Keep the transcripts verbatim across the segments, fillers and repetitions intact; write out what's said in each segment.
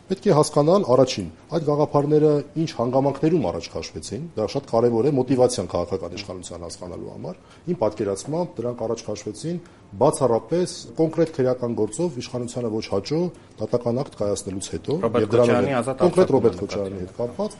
Պետք է հասկանալ առաջին, այդ գաղափարները ինչ հանգամանքներում առաջ քաշվեցին, դա շատ կարևոր է մոտիվացիան քաղաքական իշխանության հասկանալու համար։ Իմ պատկերացմամբ դրանք առաջ քաշվեցին բացառապես կոնկրետ քրեական գործով իշխանությանը ոչ հաճո դատական ակտ կայացնելուց հետո եւ դրանով կոնկրետ Ռոբերտ Քոչարյանի հետ կապված,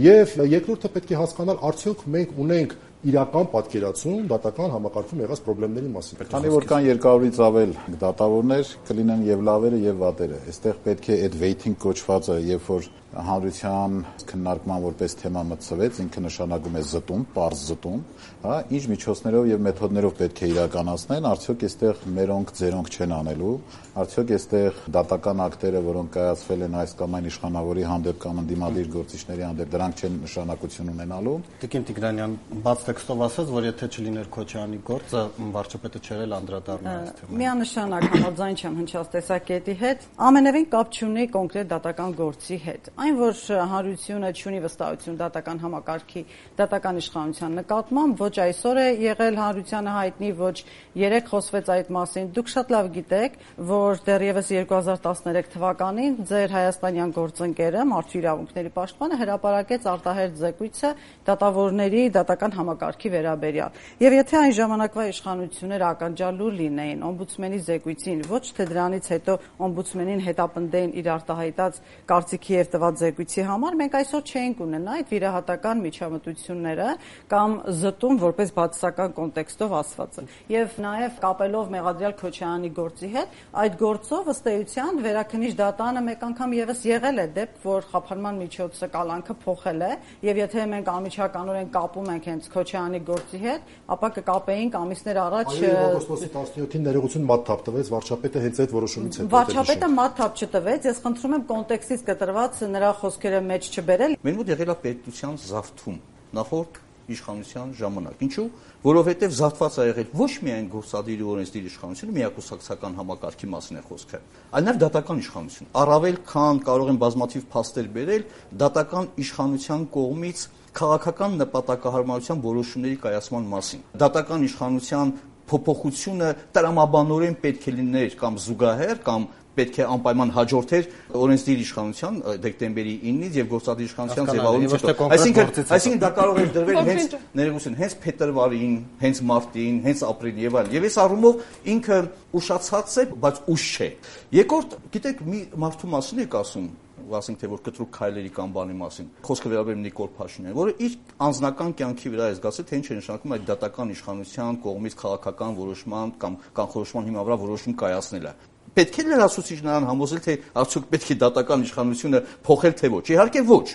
եւ երկրորդը պետք է հասկանալ արդյոք մենք ունենք իրական պատկերացում դատական համակարգում եղած խնդիրների մասին։ Քանի որ կան երկարից ավել դատավորներ, կլինեն եւ լավերը եւ վատերը։ Այստեղ պետք է այդ waiting կոչվածը, երբ որ հանրության քննարկման որպես թեմա մտցվեց, ինքը նշանակում է զտում, պարզ զտում, հա, ինչ միջոցներով եւ մեթոդներով պետք է իրականացնեն, արդյոք այստեղ մերոնք ձերոնք չեն անելու, արդյոք այստեղ դատական ակտերը, որոնք կայացվել են այս կամ այն իշխանավորի հանդեպ կամ ընդդիմադիր գործիչների հանդեպ, դրանք չեն նշանակություն ունենալու։ Տիկին Տիգրանյան բաց տեքստով ասաց, որ եթե չլիներ Քոչարյանի գործը, վարչապետը չերել անդրադառնա այս թեմային։ Միանշանակ համաձայն չեմ հնչած տեսակետի հետ, ամենևին կապ չունի կոնկրետ դատական գործի հետ։ Այն, որ հանրությունը չունի վստահություն դատական համակարգի, դատական իշխանության նկատմամբ, ոչ այսօր է եղել հանրությանը հայտնի, ոչ երեք խոսվեց այդ մասին։ Դուք շատ լավ գիտեք, որ դեռևս երկու հազար տասներեք թվականին ձեր հայաստանյան գործընկերը, Մարդու իրավունքների պաշտպանը, հրապարակեց արտահերթ զեկույցը դատավորների դատական համակարգի վերաբերյալ։ Եվ եթե այն ժամանակվա իշխանությունները ականջալուր լինեին օմբուդսմենի զեկույցին, ոչ թե դրանից հետո օմբուդսմենին հետապնդեին իր արտահայտած կարծիքի եւ տված զեկույցի համար, մենք այսօր չէինք ունենա այդ վիրահատական միջամտությունները կամ զտում որպես բացասական կոնտեքստով ասվածը։ Եվ նաեւ կապելով Մեղադրյալ Քոչարյանի գործի հետ, այդ գործով ըստ էության վերաքննիչ դատանը մեկ անգամ եւս եղել է դեպք, որ խափանման միջոցը կալանքը փոխել է, եւ եթե մենք անմիջականորեն կապում ենք հենց Քոչարյանի գործի հետ, ապա կկապեինք ամիսներ առաջ օգոստոսի տասնյոթին ներողություն մատթափ տվեց վարչապետը հենց այդ որոշումից հետո։ Վարչապետը մատթափ չտվեց, ես խնդրում եմ կոնտեքստից կտրված նրա խոսքերը մեջ չբերել։ Մեր մոտ եղել է պետության զավթում նախորդ իշխանության ժամանակ։ Ինչու՞, որովհետև զավթված է եղել ոչ միայն գործադիր ու օրենսդիր իշխանությունը, միակուսակցական համակարգի մասին է խոսքը, այլ նաև դատական իշխանություն։ Առավել քան կարող են բազմաթիվ փաստեր բերել դատական իշխանության կողմից քաղաքական նպատակահարմարության որոշումների կայացման մասին։ Դատական իշխանության փոփոխությունը տրամաբանորեն պետք է լիներ կամ զուգահեռ կամ պետք է անպայման հաջորդեր օրենսդիր իշխանության դեկտեմբերի իննից եւ գործադիր իշխանության ձևավորումից հետո։ Այսինքն, այսինքն դա կարող է դրվել հենց ներողություն, հենց փետրվարին, հենց մարտին, հենց ապրիլին եւ այլն։ Եվ այս առումով ինքը ուշացած է, բայց ուշ չէ։ Երկրորդ, գիտեք, մի մարդու մասին եք ասում, ասենք թե որ կտրուկ քայլերի կամ բանի մասին։ Խոսքը վերաբերում Նիկոլ Փաշինյանին, որը իր անձնական կյանքի վրա է զգացել, թե ինչ է նշանակում այդ դատական իշխանության կողմից քաղաքական որոշման կամ կանխորոշման հիման վրա որոշում կայացնելը։ Պետք է լրացուցիչ նրան համոզել, թե արդյոք պետք է դատական իշխանությունը փոխել թե ոչ։ Իհարկե ոչ։